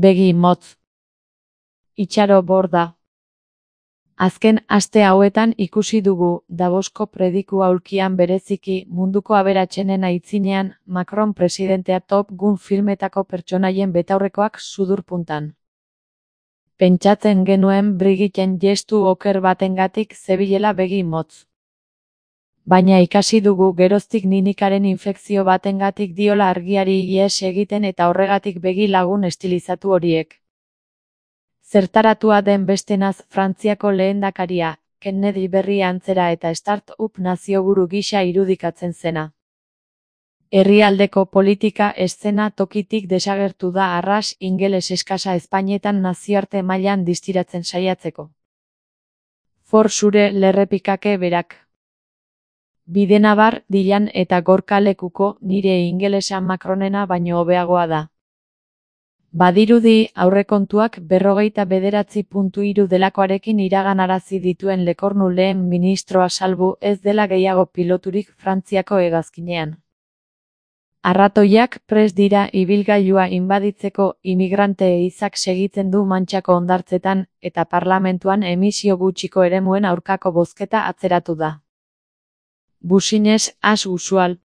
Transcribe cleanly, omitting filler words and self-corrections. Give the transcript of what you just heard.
Begi motz. Itxaro borda. Azken aste hauetan ikusi dugu, Davosko prediku aulkian bereziki munduko aberatsenen aitzinean, Macron presidentea Top Gun filmetako pertsonaien betaurrekoak sudurpuntan. Pentsatzen genuen Brigitten gestu oker batengatik zebilela begi motz. Baina ikasi dugu geroztik ninikaren infekzio batengatik diola argiari ihes egiten eta horregatik begi lagun estilizatu horiek. Zertaratua den bestenaz Frantziako lehendakaria, Kennedy berri antzera eta start-up nazioburu gisa irudikatzen zena. Herrialdeko politika eszena tokitik desagertu da arras ingeles eskasa Espainetan nazioarte mailan distiratzen saiatzeko. For zure lerrepikake berak. Bidenabar, Dilan eta Gorka lekuko nire ingelesa Macronena baino hobeagoa da. Badirudi aurrekontuak 49.3 delakoarekin iraganarazi dituen Lekornu lehen ministroa salbu ez dela gehiago piloturik Frantziako hegazkinean. Arratoiak prest dira ibilgailua inbaditzeko imigrante ehizak segitzen du Mantxako hondartzetan eta parlamentuan emisio gutxiko eremuen aurkako bozketa atzeratu da. Business as usual.